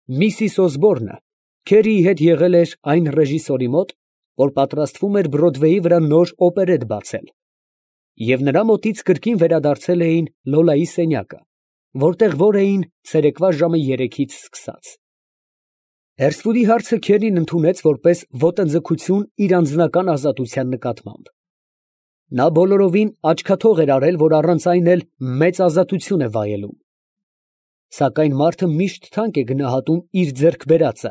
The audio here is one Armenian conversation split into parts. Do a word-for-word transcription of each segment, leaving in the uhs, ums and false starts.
Միսիս Օսբորնը Քերիի հետ եղել էր այն ռեժիսորի մոտ, որ պատրաստվում էր Բրոդվեյի վրա նոր օպերետ բացել, և նրա մոտից կրկին վերադարձել էին Լոլայի սենյակը, որտեղ որ էին ցերեկվա ժամը երեքից սկսած։ Հերսֆուդի հարցը Քերին ընդունեց որպես ոտնձգություն իր անձնական ազատության նկատմամբ. նա բոլորովին աչքաթող էր արել, որ առանց այն էլ մեծ ազատություն է վայելում։ Սակայն մարդը միշտ թանկ է գնահատում իր ձեռք բերածը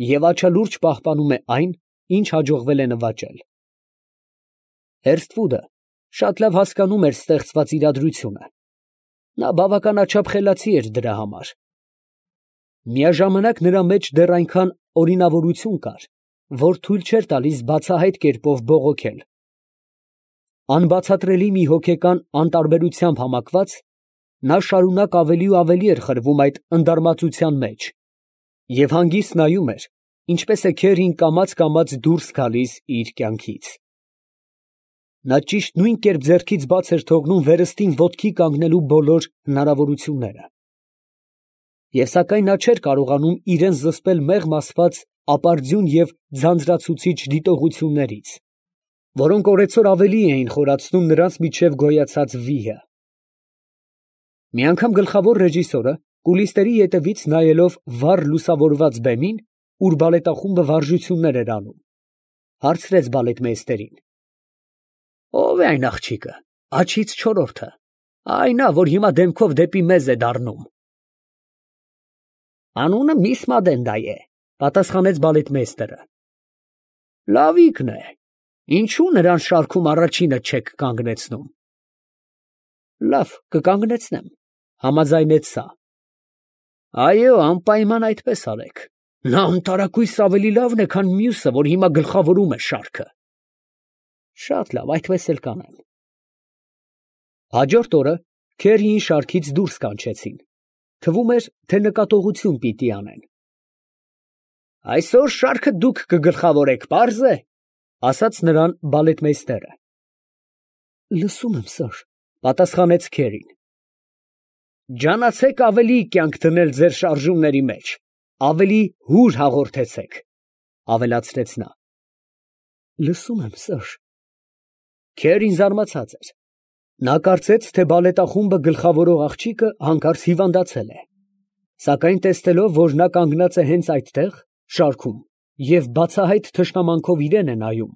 և աչալուրջ պահպանում է այն, ինչ հաջողվել է նվաճել։ Հերսթվուդը շատ լավ հասկանում էր ստեղծված իրադրությունը. նա բավականաչափ խելացի էր դրա համար։ Միաժամանակ նրա մեջ դեռ այնքան օրինավորություն կար, որ թույլ չէր տալիս բացահայտ կերպով բողոքել։ Անբացատրելի մի հոգեկան անտարբերությամբ համակված, նա շարունակ ավելի ու ավելի էր խրվում այդ ընդարմացության մեջ և հանգիստ նայում էր, ինչպես է Քերին կամաց֊կամաց դուրս գալիս իր կյանքից։ Նա ճիշտ նույն կերպ ձեռքից բաց էր թողնում վերստին ոտքի կանգնելու բոլոր հնարավորությունները։ Եվ սակայն նա չէր կարողանում իրան զսպել մեղմ ասված ապարդյուն և ձանձրացուցիչ դիտողություններից, որոնք օրեցօր ավելի էին խորացնում նրանց միջև գոյացած վիհը։ Մի անգամ գլխավոր ռեժիսորը, կուլիսների ետևից նայելով վառ լուսավորված բեմին, ուր բալետախումբը վարժություններ էր անում, հարցրեց բալետմեյստերին. ո՞վ է այն աղջիկը, աջից չորրորդը, այն ա, որ հիմա դեմքով դեպի մեզ է դառնում։ Անունը միս Մադենդա է, պատասխանեց բալետմեյստերը։ Լավիկն է, ինչու նրան շարքում առաջինը չեք կանգնեցնում։ Լավ, կկանգնեցնեմ, համաձայնեց սա։ Այո, անպայման այդպես արեք, նա անտարակույս ավելի լավն է, քան մյուսը, որ հիմա գլխավորում է շարքը։ Շատ լավ, այդպես էլ կանեմ։ Հաջորդ օրը Քերիին շարքից դուրս կանչեցին, թվում էր, թե նկատողություն պիտի անեն։ Այսօր շարքը դուք կգլխավորեք, պարզ է, ասաց նրան բալետմեյստերը։ Լսում եմ, սըր, պատասխանեց Քերին։ Ջանացեք ավելի կյանք դնել ձեր շարժումների մեջ, ավելի հուր հաղորդեցեք, ավելացրեց նա։ Լսում եմ, սըր։ Քերին զարմացած էր։ Նա կարծեց, թե բալետախումբը գլխավորող աղջիկը հանկարծ հիվանդացել է, սակայն տեսնելով, որ նա կանգնած է հենց այդտեղ, շարքում, և բացահայտ թշնամանքով իրան է նայում,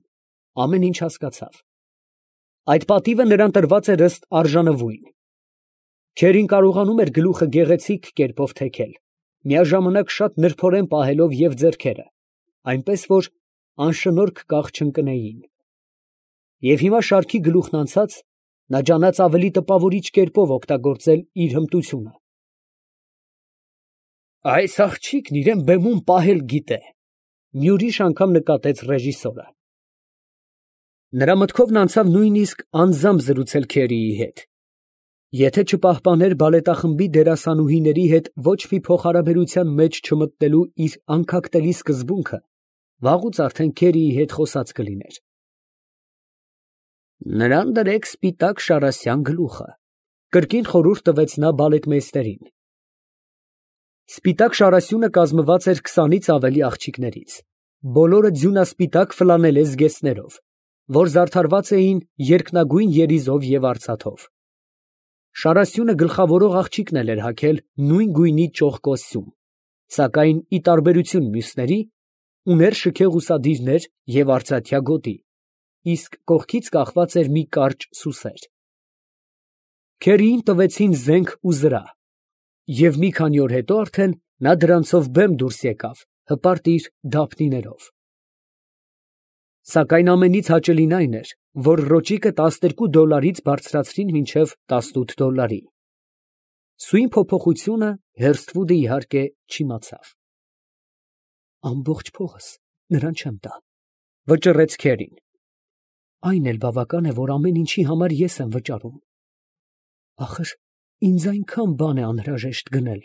ամեն ինչ հասկացավ։ Այդ պատիվը նրան տրված էր ըստ արժանվույն։ Քերին կարողանում էր գլուխը գեղեցիկ կերպով թեքել, միաժամանակ շատ նրբորեն պահելով և ձեռքերը, այնպես որ անշնորհք կաղ չընկնեին։ Եվ հիմա շարքի գլուխն անցած, նա ջանաց ավելի տպավորիչ կերպով օգտագործել իր հմտությունը։ Այս աղջիկն իրան բեմում պահել գիտե, մի ուրիշ անգամ նկատեց ռեժիսորը։ Նրա մտքովն անցավ նույնիսկ անձամբ զրուցել Քերիի հետ։ Եթե չպահպաներ բալետախմբի դերասանուհիների հետ ոչ մի փոխհարաբերության մեջ չմտնելու իր անքակտելի սկզբունքը, վաղուց արդեն Քերիի հետ խոսած կլիներ։ Նրան դրեք սպիտակ շարասյան գլուխը, կրկին խորհուրդ տվեց նա բալետմեյստերին։ Սպիտակ շարասյունը կազմված էր քսանից ավելի աղջիկներից, բոլորը ձյունասպիտակ ֆլանելե զգեստներով, որ զարդարված էին երկնագույն երիզով և արծաթով։ Շարասյունը գլխավորող աղջիկն էլ էր հագել նույն գույնի ճոխ կոստյում, սակայն ի տարբերություն մյուսների, ուներ շքեղ ուսադիրներ և արծաթյա գոտի, իսկ կողքից կախված էր մի կարճ սուսեր։ Քերիին տվեցին զենք ու զրահ, և մի քանի օր հետո արդեն նա դրանցով բեմ դուրս եկավ, հպարտ իր դափնիներով։ Սակայն ամենից հաճելին այն էր, որ ռոճիկը տասներկու դոլարից բարձրացրին մինչև տասնութ դոլարի։ Սույն փոփոխությունը Հերսթվուդը իհարկե չիմացավ։ Ամբողջ փողս նրան չեմ տա, վճռեց Քերին։ Այն էլ բավական է, որ ամեն ինչի համար ես եմ վճարում։ Ախր ինձ այնքան բան է անհրաժեշտ գնել։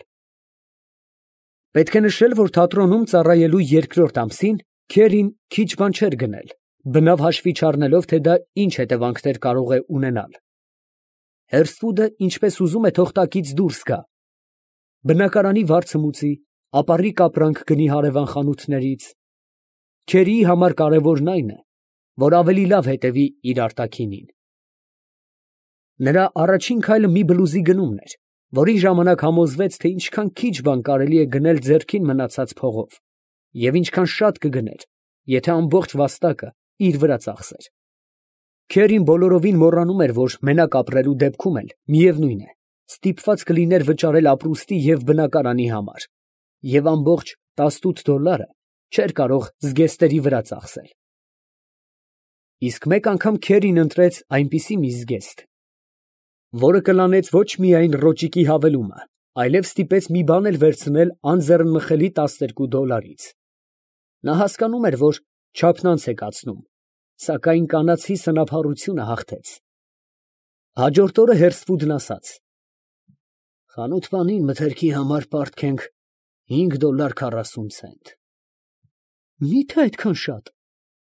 Պետք է նշել, որ թատրոնում ծառայելու երկրորդ ամսին Քերին քիչ բան չէր գնել, բնավ հաշվի չառնելով, թե դա ինչ հետևանքներ կարող է ունենալ։ Հերսթվուդը ինչպես ուզում է թող տակից դուրս գա։ Բնակարանի վարձը մուծի, ապառիկ ապրանք գնի հարևան խանութներից։ Քերիի համար կարևորն այն է, որ ավելի լավ հետևի իր արտաքինին։ Նրա առաջին քայլը մի բլուզի գնումն էր, որի ժամանակ համոզվեց, թե ինչքան քիչ բան կարելի է գնել ձեռքին մնացած փողով, և ինչքան շատ կգներ, եթե ամբողջ վաստակը իր վրա ծախսեր։ Քերին բոլորովին մոռանում էր, որ մենակ ապրելու դեպքում էլ, միևնույն է, ստիպված կլիներ վճարել ապրուստի և բնակարանի համար, և ամբողջ տասնութ դոլարը չէր կարող զգեստերի վրա ծախսել։ Իսկ մեկ անգամ Քերին ընտրեց այնպիսի մի զգեստ, որը կլանեց ոչ միայն ռոճիկի հավելումը, այլև ստիպեց մի բան էլ վերցնել անձեռնմխելի տասներկու դոլարից։ Նա հասկանում էր, որ չափն անց է կացնում, սակայն կանացի սնափառությունը հաղթեց։ Հաջորդ օրը Հերսֆուդն ասաց. «Խանութպանին մթերքի համար պարտք ենք հինգ դոլար քառասուն ցենտ»։ Մի՞թե այդքան շատ,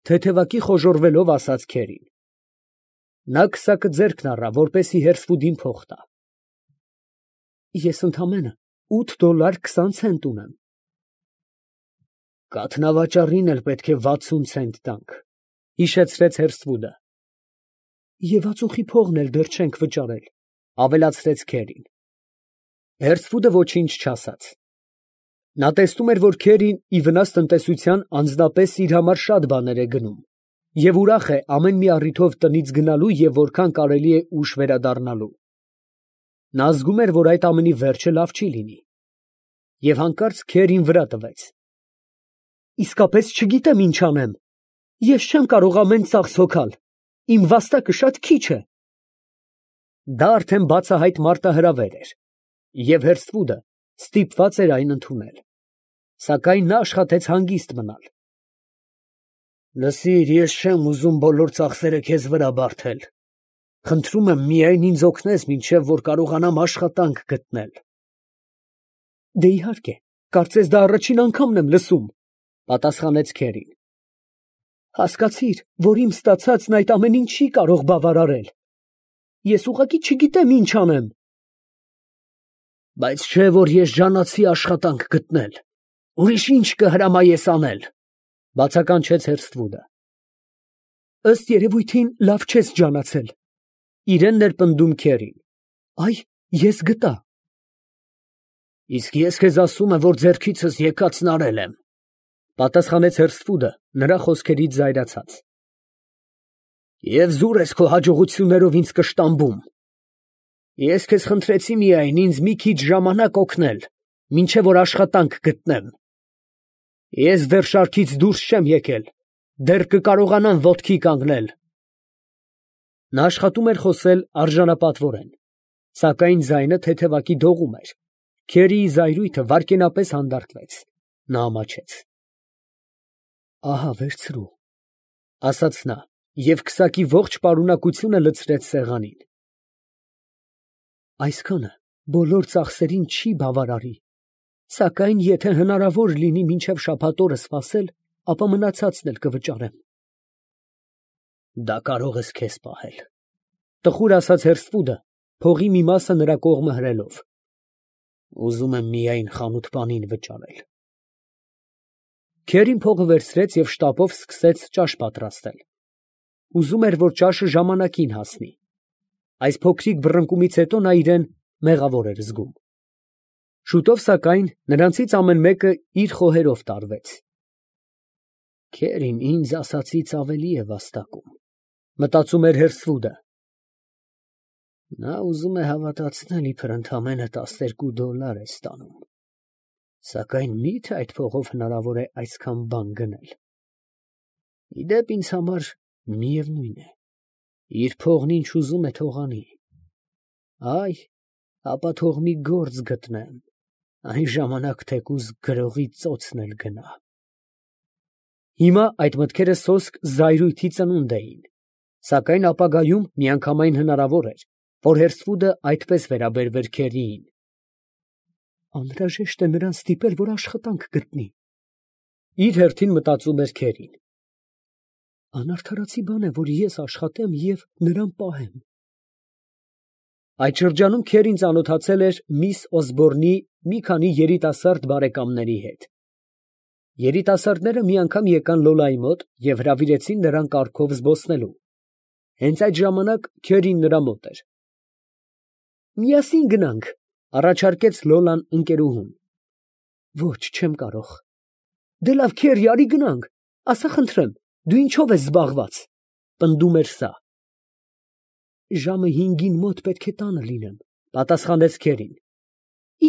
թեթևակի խոժոռվելով ասաց Քերին։ Նա քսակը ձեռքն առավ, որպեսզի Հերսֆուդին փող տա։ Ես ընդամենը ութ դոլար քսան ցենտ ունեմ։ Կաթնավաճառին էլ պետք է վաթսուն ցենտ տանք, հիշեցրեց Հերսֆուդը։ Եվ ածուխի փողն էլ դեռ չենք վճարել, ավելացրեց Քերին։ Հերսֆուդը ոչինչ չասաց։ Նա տեսնում էր, որ Քերին ի վնաս տնտեսության անձնապես իր համար շատ բաներ է գնում, և ուրախ է ամեն մի առիթով տնից գնալու և որքան կարելի է ուշ վերադառնալու։ Նա զգում էր, որ այդ ամենի վերջը լավ չի լինի, և հանկարծ Քերին վրա տվեց։ Իսկապես չգիտեմ ինչ անեմ, ես չեմ կարող ամեն ծախս հոգալ, իմ վաստակը շատ քիչ է։ Դա արդեն բացահայտ մարտահրավեր էր, և Հերսֆուդը ստիպված էր այն ընդունել, սակայն նա աշխատեց հանգիստ մնալ։ Լսիր, ես չեմ ուզում բոլոր ծախսերը քեզ վրա բարդել, խնդրում եմ միայն ինձ օգնես, մինչև որ կարողանամ աշխատանք գտնել։ Դե իհարկե, կարծես դա առաջին անգամն եմ լսում, պատասխանեց Քերին։ Հասկացիր, որ իմ ստացածն այդ ամենին չի կարող բավարարել։ Ես ուղղակի չգիտեմ ինչ անեմ։ Բայց չէ որ ես ջանացի աշխատանք գտնել, ուրիշ ինչ կհրամայես անել, բացականչեց Հերսֆուդը։ Ըստ երևույթին լավ չես ջանացել, իրեն ներպնդում Քերին։ Այ, ես գտա։ Իսկ ես քեզ ասում եմ, որ ձեռքիցս եկածն արել եմ, պատասխանեց Հերսֆուդը նրա խոսքերից զայրացած։ Եվ զուր ես քո հաջողություններով ինձ կշտամբում։ Ես քեզ խնդրեցի միայն ինձ մի քիչ ժամանակ օգնել, մինչև որ աշխատանք գտնեմ։ Ես դեռ շարքից դուրս չեմ եկել, դեռ կկարողանամ ոտքի կանգնել։ Նա աշխատում էր խոսել արժանապատվորեն, սակայն ձայնը թեթևակի դողում էր։ Քերիի զայրույթը վայրկենապես հանդարտվեց։ Նա ամաչեց։ Ահա վերցրու, ասաց նա, և քսակի ողջ պարունակությունը լցրեց սեղանին։ Այսքանը բոլոր ծախսերին չի բավարարի, սակայն եթե հնարավոր լինի մինչև շաբաթ օրը սպասել, ապա մնացածն էլ կվճարեմ։ Դա կարող ես քեզ պահել, տխուր ասաց Հերսֆուդը, փողի մի մասը նրա կողմը հրելով։ Ուզում եմ միայն խանութպանին վճարել։ Քերին փողը վերցրեց և շտապով սկսեց ճաշ պատրաստել։ Ուզում էր, որ ճաշը ժամանակին հասնի։ Այս փոքրիկ բռնկումից հետո նա իրեն մեղավոր էր զգում։ Շուտով, սակայն, նրանցից ամեն մեկը իր խոհերով տարվեց։ Քերին ինձ ասածից ավելի է վաստակում, մտածում էր Հերսֆուդը։ Նա ուզում է հավատացնել, իբր ընդամենը տասներկու դոլար է ստանում, սակայն մի՞թե այդ փողով հնարավոր է այսքան բան գնել։ Ի դեպ ինձ համար միևնույն է, իր փողն ինչ ուզում է թող անի։ Այ, ապա թող մի գործ գտնեմ, այն ժամանակ թեկուզ գրողի ծոցն էլ գնա։ Հիմա այդ մտքերը սոսկ զայրույթի ծնունդ էին, սակայն ապագայում միանգամայն հնարավոր էր, որ Հերսֆուդը այդպես վերաբերվեր Քերիին։ Անհրաժեշտ է նրան ստիպել, որ աշխատանք գտնի։ Իր հերթին մտածում էր Քերին։ Անարդարացի բան է, որ ես աշխատեմ և նրան պահեմ։ Այդ շրջանում Քերին ծանոթացել էր միս Օսբորնի մի քանի երիտասարդ բարեկամների հետ։ Երիտասարդները մի անգամ եկան Լոլայի մոտ և հրավիրեցին նրան կառքով զբոսնելու։ Հենց այդ ժամանակ Քերին նրա մոտ էր։ «Միասին գնանք», ֊ առաջարկեց Լոլան ընկերուհուն։ «Ոչ, չեմ կարող»։ «Դե լավ, Քերի, արի գնանք, ասա խնդրեմ, դու ինչո՞վ ես զբաղված», ֊ պնդում էր սա։ «Ժամը հինգին մոտ պետք է տանը լինեմ», ֊ պատասխանեց Քերին։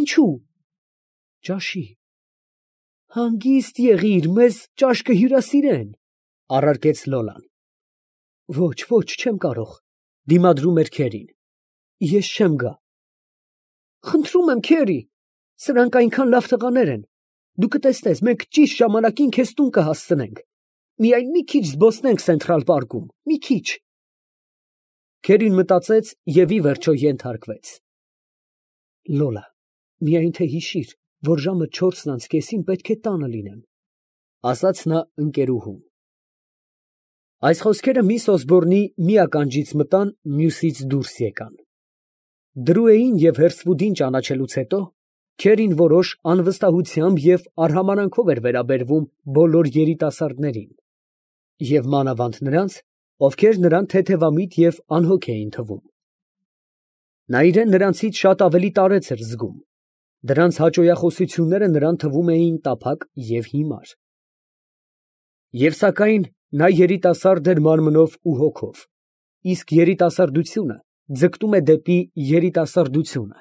«Ինչու՞։ Ճաշի»։ «Հանգիստ եղիր, մեզ ճաշ կհյուրասիրեն», ֊ առարկեց Լոլան։ «Ոչ, ոչ, չեմ կարող», ֊ դիմադրում էր Քերին։ «Ես չեմ գա»։ «Խնդրում եմ, Քերի, սրանք այնքան լավ տղաներ են, դու կտեսնես, մենք ճիշտ ժամանակին քեզ տուն կհասցնենք, միայն մի քիչ զբոսնենք Սենթրալ պարկում, մի քիչ»։ Քերին մտածեց և ի վերջո ենթարկվեց։ «Լոլա, միայն թե հիշիր, որ ժամը չորսն անց կեսին պետք է տանը լինեմ», ֊ ասաց նա ընկերուհուն։ Այս խոսքերը միս Օսբորնի մի ականջից մտան, մյուսից դուրս եկան։ Դրուեին և Հերսվուդին ճանաչելուց հետո Քերին որոշ անվստահությամբ և արհամարհանքով էր վերաբերվում բոլոր երիտասարդներին, և մանավանդ նրանց, ովքեր նրան թեթևամիտ և անհոգ էին թվում։ Նա իրան նրանցից շատ ավելի տարեց էր զգում, դրանց հաճոյախոսությունները նրան թվում էին տափակ և հիմար։ Եվ սակայն նա երիտասարդ էր մարմնով ու հոգով, իսկ երիտասարդությունը ձգտում է դեպի երիտասարդությունը։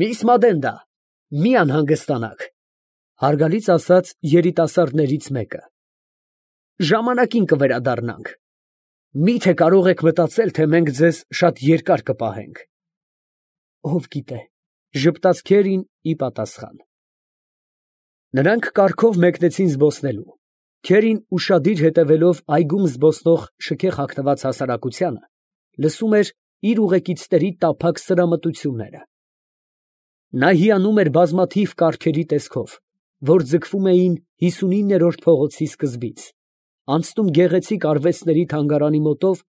«Միս Մադենդա, մի անհանգստանաք», ֊ հարգալից ասաց երիտասարդներից մեկը։ «Ժամանակին կվերադառնանք։ Մի՞թե կարող եք մտածել, թե մենք ձեզ շատ երկար կպահենք»։ «Ով գիտե», ֊ ժպտաց Քերին ի պատասխան։ Նրանք կառքով մեկնեցին զբոսնելու։ Քերին ուշադիր հետևելով այգում զբոսնող շքեղ հագնված հասարակությանը, լսում էր իր ուղեկիցների տափակ սրամտությունները։ Նա հիանում էր բազմաթիվ կառքերի տեսքով, որ ձգվում էին հիսունիններորդ փողոցի սկզբից, անցնում գեղեցիկ արվեստների թանգարանի մոտով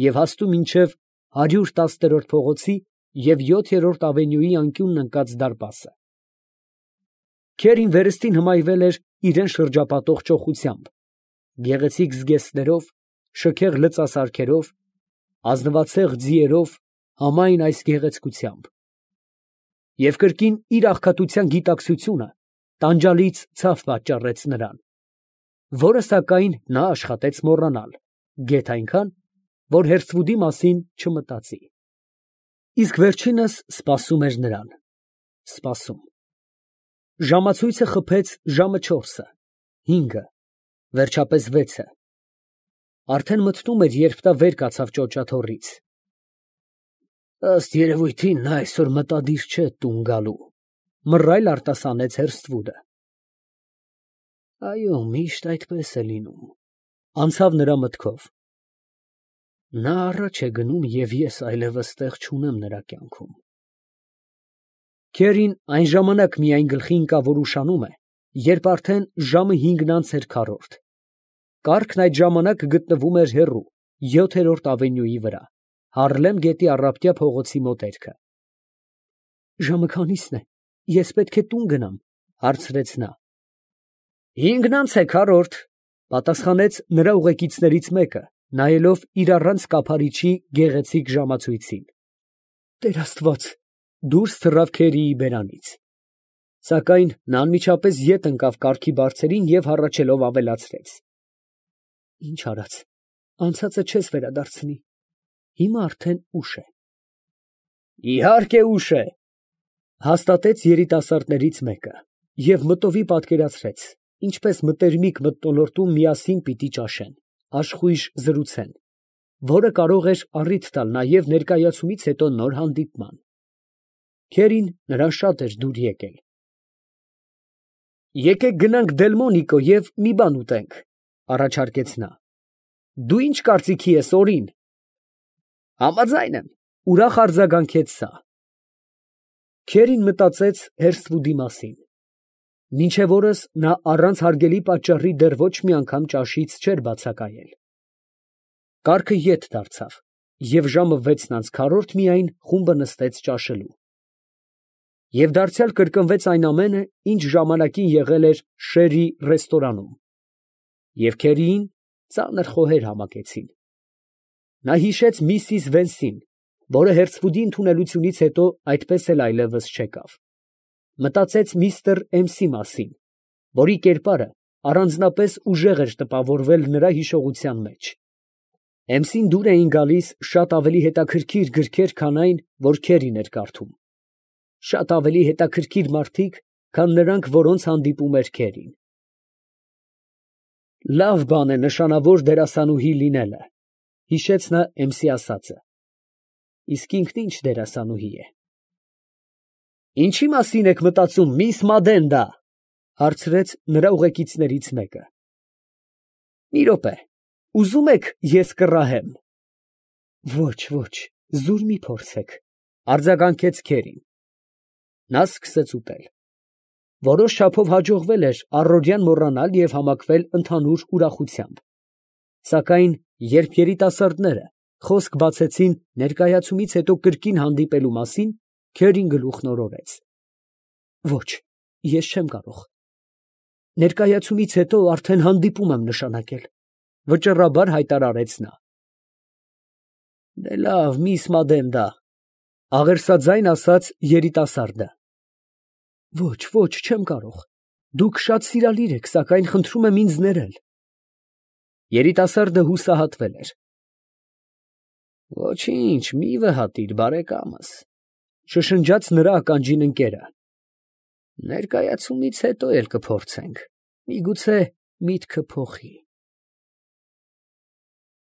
և հասնում մինչև հարյուր տասներորդ փողոցի և յոթերորդ ավենյուի անկյունն ընկած դարպասը։ Քերին վերստին հմայվել էր իրան շրջապատող ճոխությամբ, գեղեցիկ զգեստներով, շքեղ լծասարքերով, ազնվացեղ ձիերով, համայն այս գեղեցկությամբ։ Եվ կրկին իր աղքատության գիտակցությունը տանջալից ցավ պատճառեց նրան, որը սակայն նա աշխատեց մոռանալ, գեթ այնքան, որ Հերսվուդի մասին չմտածի։ Իսկ վերջինս սպասում էր նրան, սպասում։ Ժամացույցը խփեց ժամը չորսը, հինգը, վերջապես վեցը։ Արդեն մթնում էր, երբ նա վեր կացավ ճոճաթոռից։ «Ըստ երևույթին, նա այսօր մտադիր չէ տուն գալու», ֊ մռայլ արտասանեց Հերսթվուդը։ «Այո, միշտ այդպես է լինում», ֊ անցավ նրա մտքով։ «Նա առաջ է գնում, և ես այլևս տեղ չունեմ նրա կյանքում»։ Քերին այն ժամանակ միայն գլխի ընկավ, որ ուշանում է, երբ արդեն ժամը հինգն անց էր քառորդ։ Կառքն այդ ժամանակ գտնվում էր հեռու, յոթերորդ ավենյուի վրա, Հարլեմ գետի առափտյա փողոցի մոտերքը։ «Ժամը քանի՞սն է, ես պետք է տուն գնամ», ֊ հարցրեց նա։ «Հինգն անց է քառորդ», ֊ պատասխանեց նրա ուղեկիցներից մեկը, նայելով իր առանց կափարիչի գեղեցիկ ժամացույցին։ «Տեր Աստված», ֊ դուրս թռավ Քերիի բերանից։ Սակայն նա անմիջապես ետ ընկավ կառքի բարձերին և հառաչելով ավելացրեց. «Ինչ արած, անցածը չես վերադարձնի, հիմա արդեն ուշ է»։ «Իհարկե ուշ է», ֊ հաստատեց երիտասարդներից մեկը և մտովի պատկերացրեց, ինչպես մտերմիկ մթնոլորտում միասին պիտի ճաշեն, աշխույժ զրուցեն, որը կարող էր առիթ տալ նաև ներկայացումից հետո նոր հանդիպման։ Քերին նրան շատ էր դուր եկել։ «Եկեք գնանք Դելմոնիկո և մի բան ուտենք», ֊ առաջարկեց նա։ «Դու ի՞նչ կարծիքի ես, Օրին»։ «Համաձայն եմ», ֊ ուրախ արձագանքեց սա։ Քերին մտածեց Հերսթվուդի մասին։ Մինչև օրս նա առանց հարգելի պատճառի դեռ ոչ մի անգամ ճաշից չէր բացակայել։ Կառքը ետ դարձավ։ և ժամը վեցն անց քառորդ միայն խումբը նստեց ճաշելու։ Եվ դարձյալ կրկնվեց այն ամենը, ինչ ժամանակին եղել էր Շերի ռեստորանում, և քերիին ծանր խոհեր համակեցին։ Նա հիշեց միսիս Վենսին, որը Հերձվուդի ընդունելությունից հետո այդպես էլ այլևս չեկավ, մտածեց միստր Էմսի մասին, որի կերպարը առանձնապես ուժեղ էր տպավորվել նրա հիշողության մեջ։ Էմսին դուր էին գալիս շատ ավելի հետաքրքիր գրքեր, քան այն, որ քերին էր կարդում, շատ ավելի հետաքրքիր մարդիկ, քան նրանք, որոնց հանդիպում էր քերին։ Լավ բան է նշանավոր դերասանուհի լինելը, հիշեց նա Էմսի ասածը, իսկ ինքն ի՞նչ դերասանուհի է։ Ինչի՞ մասին եք մտածում, միս Մադենդա, ֊ հարցրեց նրա ուղեկիցներից մեկը։ Մի րոպե, ուզո՞ւմ եք ես կռահեմ։ Ոչ, ոչ, զուր մի փորձեք, ֊ արձագանքեց քերին։ Նա սկսեց ուտել։ Որոշ չափով հաջողվել էր առօրյան մոռանալ և համակվել ընդհանուր ուրախությամբ, սակայն երբ երիտասարդները խոսք բացեցին ներկայացումից հետո կրկին հանդիպելու մասին, քերին գլուխն օրորեց։ Ոչ, ես չեմ կարող։ Ներկայացումից հետո արդեն հանդիպում եմ նշանակել, ֊ վճռաբար հայտարարեց նա։ Դե լավ, միս Մադենդա, ֊ աղերսաձայն ասաց երիտասարդը։ Ոչ, ոչ, չեմ կարող։ Դուք շատ սիրալիր եք, սակայն խնդրում եմ ինձ ներել։ Երիտասարդը հուսահատվել էր։ Ոչինչ, մի վհատիր, բարեկամս, ֊ շշնջաց նրա ականջին ընկերը։ Ներկայացումից հետո էլ կփորձենք, միգուցե միտքը փոխի։